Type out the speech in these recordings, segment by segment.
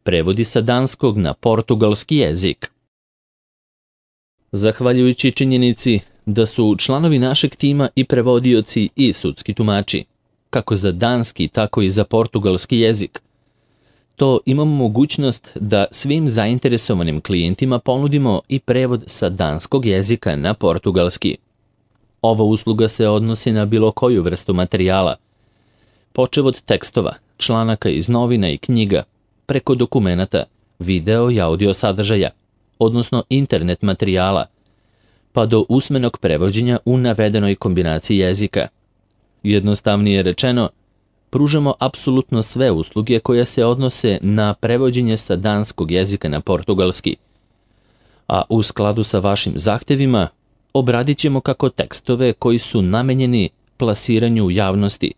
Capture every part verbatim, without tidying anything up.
prevodi sa danskog na portugalski jezik. Zahvaljujući činjenici da su članovi našeg tima i prevodioci i sudski tumači, kako za danski, tako i za portugalski jezik, to imamo mogućnost da svim zainteresovanim klijentima ponudimo i prevod sa danskog jezika na portugalski. Ova usluga se odnosi na bilo koju vrstu materijala, počev od tekstova, članaka iz novina i knjiga, preko dokumenata, video i audio sadržaja, odnosno internet materijala, pa do usmenog prevođenja u navedenoj kombinaciji jezika. Jednostavnije rečeno, pružamo apsolutno sve usluge koje se odnose na prevođenje sa danskog jezika na portugalski, a u skladu sa vašim zahtevima obradit ćemo kako tekstove koji su namenjeni plasiranju u javnosti,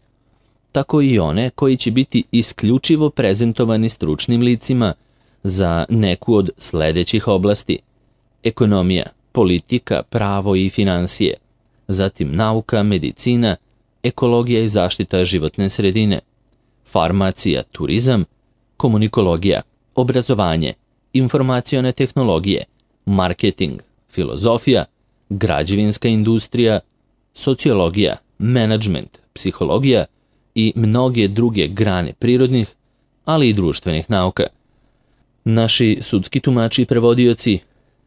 tako i one koji će biti isključivo prezentovani stručnim licima za neku od sledećih oblasti: ekonomija, politika, pravo i finansije, zatim nauka, medicina, ekologija i zaštita životne sredine, farmacija, turizam, komunikologija, obrazovanje, informacione tehnologije, marketing, filozofija, građevinska industrija, sociologija, menadžment, psihologija i mnoge druge grane prirodnih, ali i društvenih nauka. Naši sudski tumači i prevodioci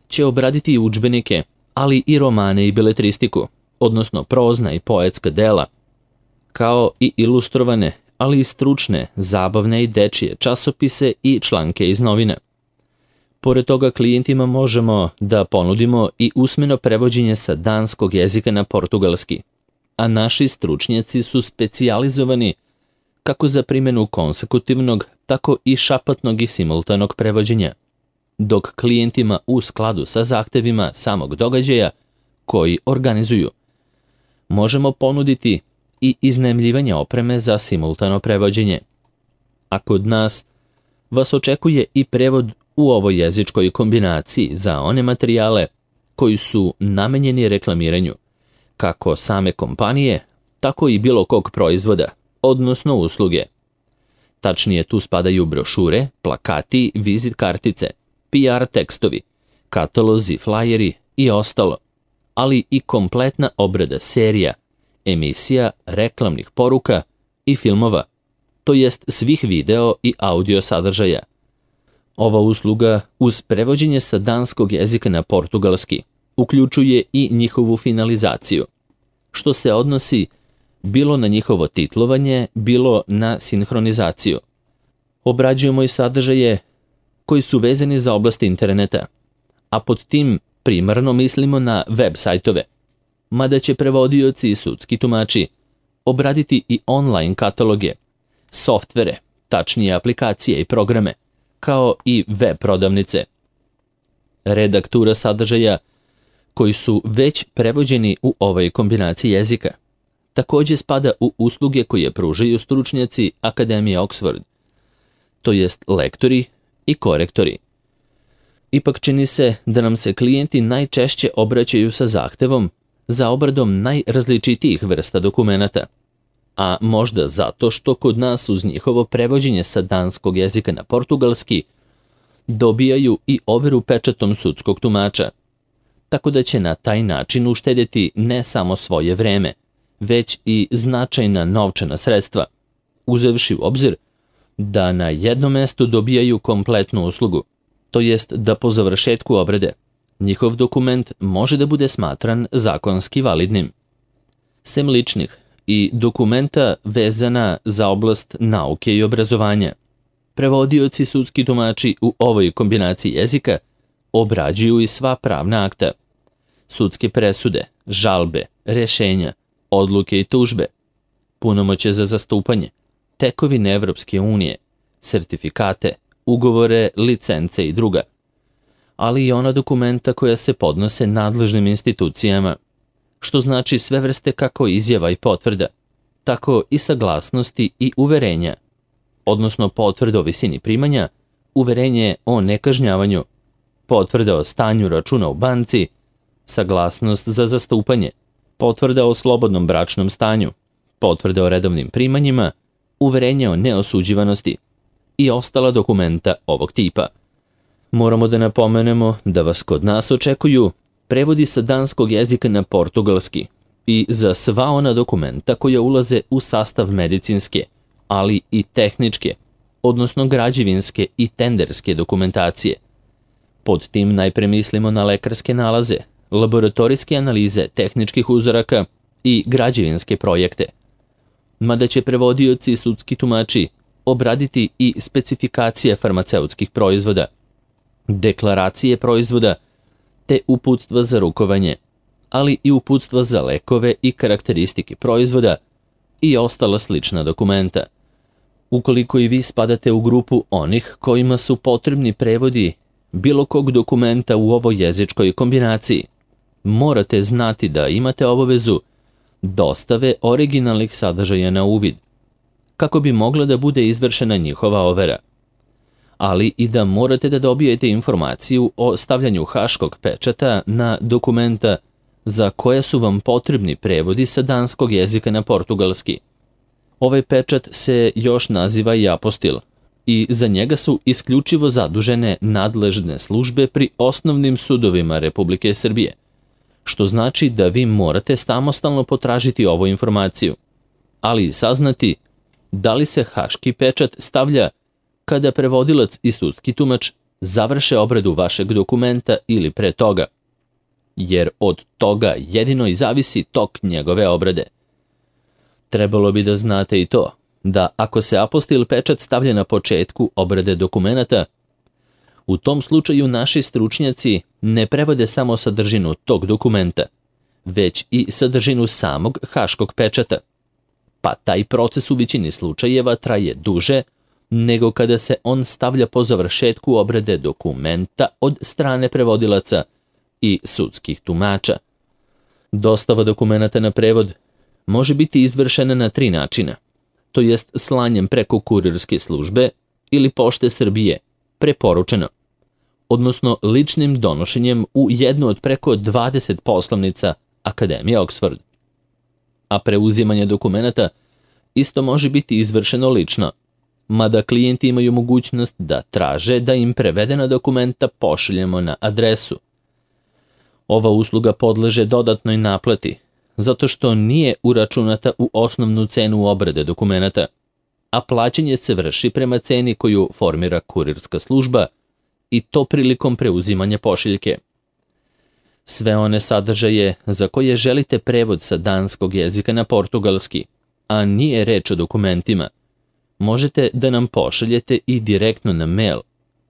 će obraditi i udžbenike, ali i romane i beletristiku, odnosno prozna i poetska dela, kao i ilustrovane, ali i stručne, zabavne i dečije časopise i članke iz novina. Pored toga, klijentima možemo da ponudimo i usmeno prevođenje sa danskog jezika na portugalski, a naši stručnjaci su specijalizovani kako za primjenu konsekutivnog, tako i šapatnog i simultanog prevođenja, dok klijentima u skladu sa zahtevima samog događaja koji organizuju možemo ponuditi i iznajmljivanje opreme za simultano prevođenje. A kod nas vas očekuje i prevod u ovoj jezičkoj kombinaciji za one materijale koji su namenjeni reklamiranju, kako same kompanije, tako i bilo kog proizvoda, odnosno usluge. Tačnije, tu spadaju brošure, plakati, vizit kartice, P R tekstovi, katalozi, flajeri i ostalo, ali i kompletna obrada serija, emisija, reklamnih poruka i filmova, to jest svih video i audio sadržaja. Ova usluga uz prevođenje sa danskog jezika na portugalski uključuje i njihovu finalizaciju, što se odnosi bilo na njihovo titlovanje, bilo na sinhronizaciju. Obrađujemo i sadržaje koji su vezani za oblast interneta, a pod tim primarno mislimo na web sajtove, mada će prevodioci i sudski tumači obraditi i online kataloge, softvere, tačnije aplikacije i programe, kao i web prodavnice. Redaktura sadržaja koji su već prevođeni u ovoj kombinaciji jezika takođe spada u usluge koje pružaju stručnjaci Akademije Oxford, to jest lektori i korektori. Ipak čini se da nam se klijenti najčešće obraćaju sa zahtevom za obradom najrazličitijih vrsta dokumenata, a možda zato što kod nas uz njihovo prevođenje sa danskog jezika na portugalski dobijaju i overu pečatom sudskog tumača, tako da će na taj način uštedjeti ne samo svoje vreme, već i značajna novčana sredstva, uzevši u obzir da na jednom mestu dobijaju kompletnu uslugu, to jest da po završetku obrade njihov dokument može da bude smatran zakonski validnim. Sem ličnih i dokumenta vezana za oblast nauke i obrazovanja, prevodioci sudski tumači u ovoj kombinaciji jezika obrađuju i sva pravna akta, sudske presude, žalbe, rešenja, odluke i tužbe, punomoćje za zastupanje, tekovine Evropske unije, sertifikate, ugovore, licence i druga, ali i ona dokumenta koja se podnose nadležnim institucijama, što znači sve vrste kako izjava i potvrda, tako i saglasnosti i uverenja, odnosno potvrda o visini primanja, uverenje o nekažnjavanju, potvrda o stanju računa u banci, saglasnost za zastupanje, potvrda o slobodnom bračnom stanju, potvrda o redovnim primanjima, uverenje o neosuđivanosti, i ostala dokumenta ovog tipa. Moramo da napomenemo da vas kod nas očekuju prevodi sa danskog jezika na portugalski i za sva ona dokumenta koja ulaze u sastav medicinske, ali i tehničke, odnosno građevinske i tenderske dokumentacije. Pod tim najpre mislimo na lekarske nalaze, laboratorijske analize tehničkih uzoraka i građevinske projekte. Mada će prevodioci i sudski tumači obraditi i specifikacije farmaceutskih proizvoda, deklaracije proizvoda, te uputstva za rukovanje, ali i uputstva za lekove i karakteristike proizvoda i ostala slična dokumenta. Ukoliko i vi spadate u grupu onih kojima su potrebni prevodi bilo kog dokumenta u ovoj jezičkoj kombinaciji, morate znati da imate obavezu dostave originalnih sadržaja na uvid, kako bi mogla da bude izvršena njihova overa, ali i da morate da dobijete informaciju o stavljanju haškog pečata na dokumenta za koje su vam potrebni prevodi sa danskog jezika na portugalski. Ovaj pečat se još naziva i apostil i za njega su isključivo zadužene nadležne službe pri osnovnim sudovima Republike Srbije, što znači da vi morate samostalno potražiti ovu informaciju, ali i saznati da li se haški pečat stavlja kada prevodilac i sudski tumač završe obradu vašeg dokumenta ili pre toga, jer od toga jedino i zavisi tok njegove obrade. Trebalo bi da znate i to, da ako se apostil pečat stavlja na početku obrade dokumenata, u tom slučaju naši stručnjaci ne prevode samo sadržinu tog dokumenta, već i sadržinu samog haškog pečata, pa taj proces u većini slučajeva traje duže nego kada se on stavlja po završetku obrade dokumenta od strane prevodilaca i sudskih tumača. Dostava dokumenata na prevod može biti izvršena na tri načina, to jest slanjem preko kurirske službe ili pošte Srbije, preporučeno, odnosno ličnim donošenjem u jednu od preko dvadeset poslovnica Akademije Oxford. A preuzimanje dokumenata isto može biti izvršeno lično, mada klijenti imaju mogućnost da traže da im prevedena dokumenta pošaljemo na adresu. Ova usluga podleže dodatnoj naplati, zato što nije uračunata u osnovnu cenu obrade dokumenata, a plaćanje se vrši prema ceni koju formira kurirska služba i to prilikom preuzimanja pošiljke. Sve one sadržaje za koje želite prevod sa danskog jezika na portugalski, a nije reč o dokumentima, možete da nam pošaljete i direktno na mail,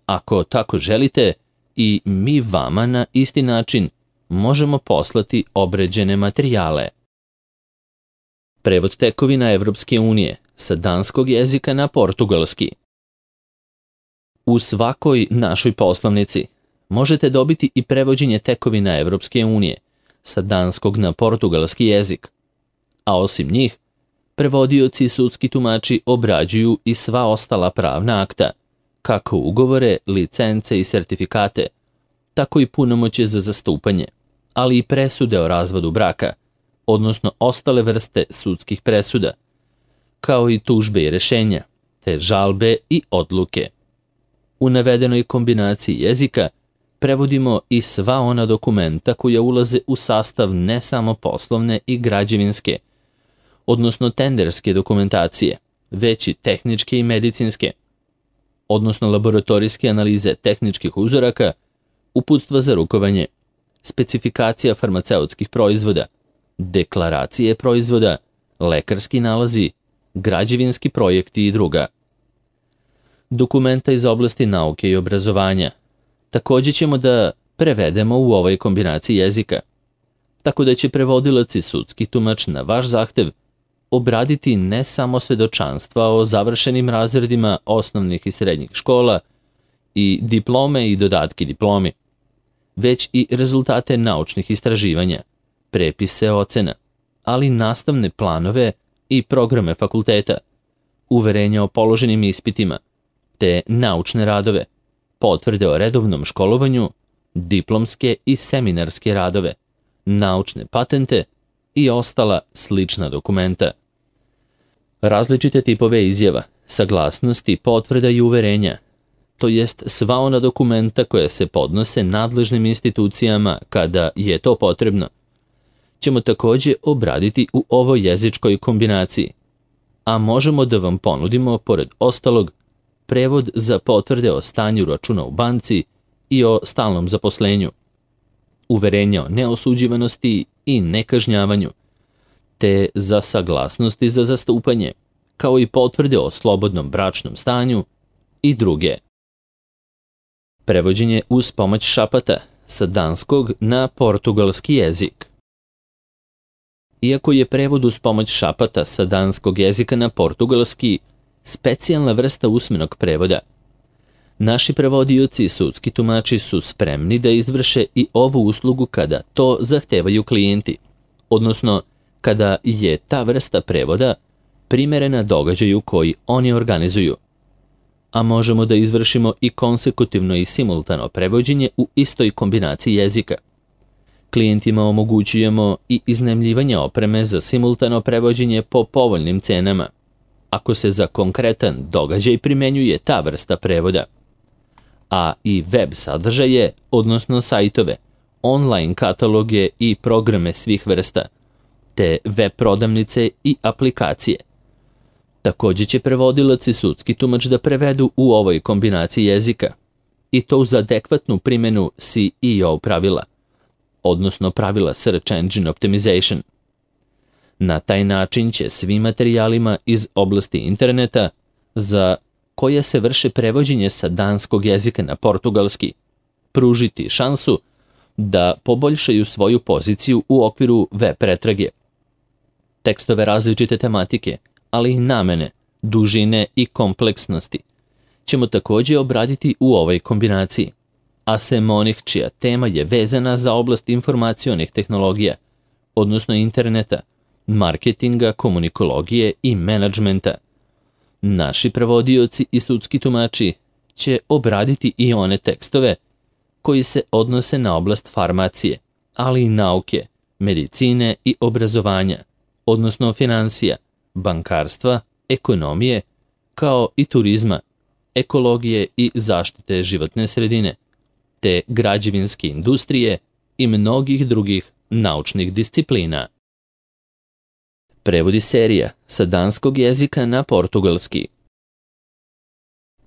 ako tako želite, i mi vama na isti način možemo poslati obređene materijale. Prevod tekovina Evropske unije sa danskog jezika na portugalski. U svakoj našoj poslovnici možete dobiti i prevođenje tekovina Evropske unije sa danskog na portugalski jezik, a osim njih, prevodioci i sudski tumači obrađuju i sva ostala pravna akta, kako ugovore, licence i sertifikate, tako i punomoćje za zastupanje, ali i presude o razvodu braka, odnosno ostale vrste sudskih presuda, kao i tužbe i rešenja, te žalbe i odluke. U navedenoj kombinaciji jezika prevodimo i sva ona dokumenta koja ulaze u sastav ne samo poslovne i građevinske, odnosno tenderske dokumentacije, već i tehničke i medicinske, odnosno laboratorijske analize tehničkih uzoraka, uputstva za rukovanje, specifikacija farmaceutskih proizvoda, deklaracije proizvoda, lekarski nalazi, građevinski projekti i druga. Dokumenta iz oblasti nauke i obrazovanja također ćemo da prevedemo u ovoj kombinaciji jezika, tako da će prevodilac i sudski tumač na vaš zahtev obraditi ne samo svedočanstva o završenim razredima osnovnih i srednjih škola i diplome i dodatke diplomi, već i rezultate naučnih istraživanja, prepise ocena, ali nastavne planove i programe fakulteta, uverenja o položenim ispitima, te naučne radove, potvrde o redovnom školovanju, diplomske i seminarske radove, naučne patente i ostala slična dokumenta. Različite tipove izjava, saglasnosti, potvrda i uverenja, to jest sva ona dokumenta koja se podnose nadležnim institucijama kada je to potrebno, ćemo takođe obraditi u ovoj jezičkoj kombinaciji, a možemo da vam ponudimo, pored ostalog, prevod za potvrde o stanju računa u banci i o stalnom zaposlenju, uverenja o neosuđivanosti i nekažnjavanju, te za saglasnosti za zastupanje, kao i potvrde o slobodnom bračnom stanju i druge. Prevođenje uz pomoć šapata sa danskog na portugalski jezik. Iako je prevod uz pomoć šapata sa danskog jezika na portugalski specijalna vrsta usmenog prevoda, naši prevodioci i sudski tumači su spremni da izvrše i ovu uslugu kada to zahtevaju klijenti, odnosno kada je ta vrsta prevoda primerena događaju koji oni organizuju, a možemo da izvršimo i konsekutivno i simultano prevođenje u istoj kombinaciji jezika. Klijentima omogućujemo i iznajmljivanje opreme za simultano prevođenje po povoljnim cenama, ako se za konkretan događaj primenjuje ta vrsta prevoda, a i web sadržaje, odnosno sajtove, online kataloge i programe svih vrsta, te web prodavnice i aplikacije. Takođe će prevodilac i sudski tumač da prevedu u ovoj kombinaciji jezika, i to uz adekvatnu primenu S E O pravila, odnosno pravila Search Engine Optimization. Na taj način će svim materijalima iz oblasti interneta za koje se vrše prevođenje sa danskog jezika na portugalski pružiti šansu da poboljšaju svoju poziciju u okviru web pretrage. Tekstove različite tematike, ali i namene, dužine i kompleksnosti ćemo takođe obraditi u ovoj kombinaciji, a sem onih čija tema je vezana za oblast informacionih tehnologija, odnosno interneta, marketinga, komunikologije i menadžmenta. Naši prevodioci i sudski tumači će obraditi i one tekstove koji se odnose na oblast farmacije, ali i nauke, medicine i obrazovanja, odnosno financija, bankarstva, ekonomije, kao i turizma, ekologije i zaštite životne sredine, te građevinske industrije i mnogih drugih naučnih disciplina. Prevodi serija sa danskog jezika na portugalski.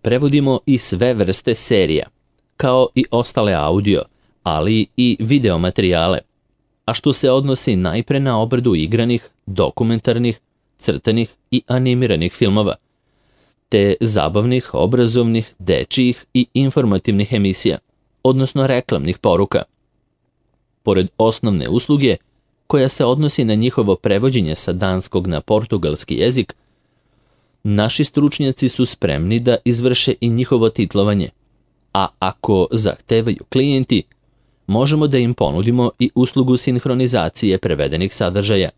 Prevodimo i sve vrste serija, kao i ostale audio, ali i video materijale, a što se odnosi najpre na obradu igranih, dokumentarnih, crtanih i animiranih filmova, te zabavnih, obrazovnih, dečijih i informativnih emisija, odnosno reklamnih poruka. Pored osnovne usluge, koja se odnosi na njihovo prevođenje sa danskog na portugalski jezik, naši stručnjaci su spremni da izvrše i njihovo titlovanje, a ako zahtevaju klijenti, možemo da im ponudimo i uslugu sinhronizacije prevedenih sadržaja.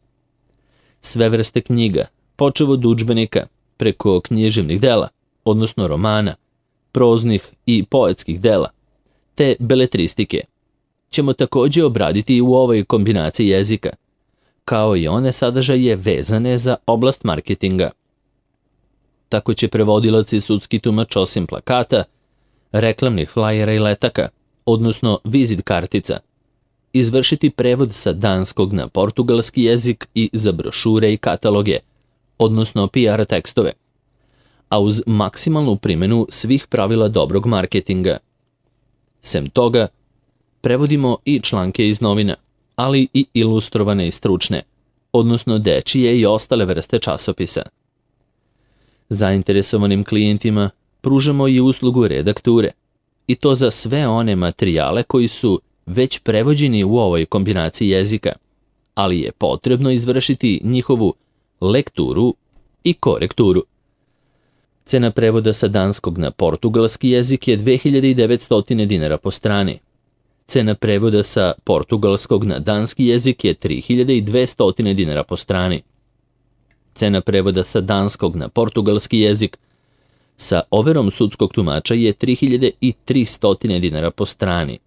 Sve vrste knjiga, počev od udžbenika, preko književnih dela, odnosno romana, proznih i poetskih dela, te beletristike, ćemo takođe obraditi i u ovoj kombinaciji jezika, kao i one sadržaje vezane za oblast marketinga. Tako će prevodilac i sudski tumač osim plakata, reklamnih flajera i letaka, odnosno vizit kartica, izvršiti prevod sa danskog na portugalski jezik i za brošure i kataloge, odnosno P R tekstove, a uz maksimalnu primjenu svih pravila dobrog marketinga. Sem toga, prevodimo i članke iz novina, ali i ilustrovane i stručne, odnosno dečije i ostale vrste časopisa. Zainteresovanim klijentima pružamo i uslugu redakture, i to za sve one materijale koji su već prevođeni u ovoj kombinaciji jezika, ali je potrebno izvršiti njihovu lekturu i korekturu. Cena prevoda sa danskog na portugalski jezik je dve hiljade devetsto dinara po strani. Cena prevoda sa portugalskog na danski jezik je tri hiljade dvesta dinara po strani. Cena prevoda sa danskog na portugalski jezik sa overom sudskog tumača je tri hiljade tristo dinara po strani.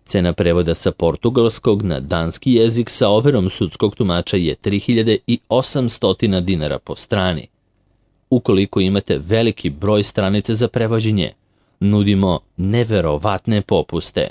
Cena prevoda sa portugalskog na danski jezik sa overom sudskog tumača je tri hiljade osamsto dinara po strani. ukoliko imate veliki broj stranica za prevođenje. Nudimo neverovatne popuste.